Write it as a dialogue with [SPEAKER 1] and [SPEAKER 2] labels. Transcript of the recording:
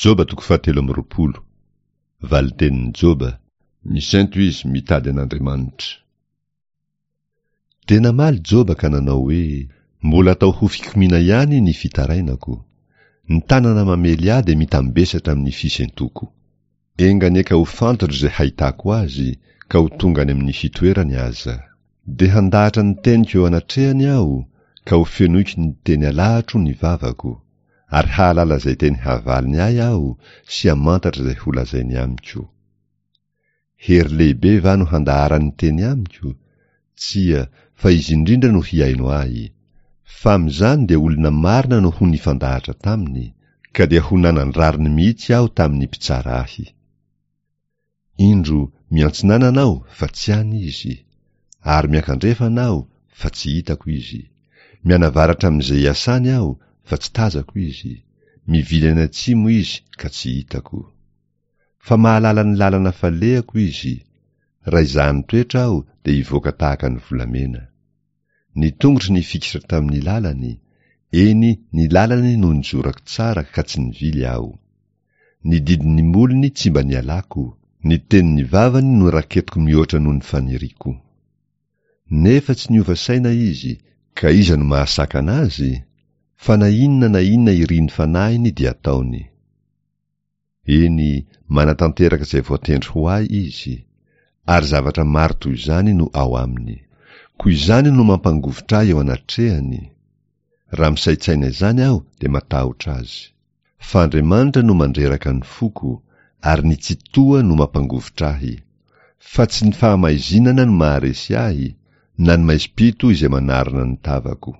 [SPEAKER 1] Joba toko fahatelo amby 20. Valin-tenin'i Joba, Misento izy mitady an'Andriamanitra. Dia namaly Joba ka nanao hoe, Mbola atao ho fikomiana ihany ny fitarainako. Ny tanana mamely ahy dia mitambesatra amin'ny fisentoko. Enga anie ka ho fantatro izay hahitako azy, ka ho tonga any amin'ny fitoerany aza. Dia handahatra ny teniko eo anatrehany aho, ka ho fenoiko ny teny alahatro ny vavako, ary hahalala izay teny havaliny ahy aho sy hamantatra izay holazainy amiko. Hery lehibe va no handaharany teny amiko? Tsia, fa izy indrindra no hihaino ahy. Fa amin'izany dia olona marina no ho nifandahatra taminy, ka dia ho nanan-drariny mihitsy aho tamin'ny mpitsara ahy. Indro, miantsinanana aho, fa tsy any izy, ary miankandrefana aho, fa tsy hitako izy. Mianavaratra amin'izay iasany aho, fa tsy tazako izy. Mivily any atsimo izy, ka tsy hitako. Fa mahalala ny lalana falehako izy, raha izahany toetra aho dia hivoaka tahaka ny volamena. Ny tongotro nifikitra tamin'ny lalany, eny ny lalany no nizorako tsara ka tsy nivily aho. Ny didin'ny molony tsy mba nialako, ny tenin'ny vavany no raketiko mihoatra noho ny faniriako. Nefa tsy niova saina izy, ka iza no mahasakana azy? Fa na inona na inona irin'ny fanahiny dia ataony. Eny, manatanteraka izay voatendry ho ahy izy, ary zavatra maro toy izany no ao aminy. Koa izany no mampangovitra ahy eo anatrehany. Raha misaintsaina izany aho dia matahotra azy. Fa Andriamanitra no mandreraka ny foko, ary ny Tsitoha no mampangovitra ahy. Fa tsy ny fahamaizinana no maharesy ahy, na ny maizim-pito izay manarona ny tavako.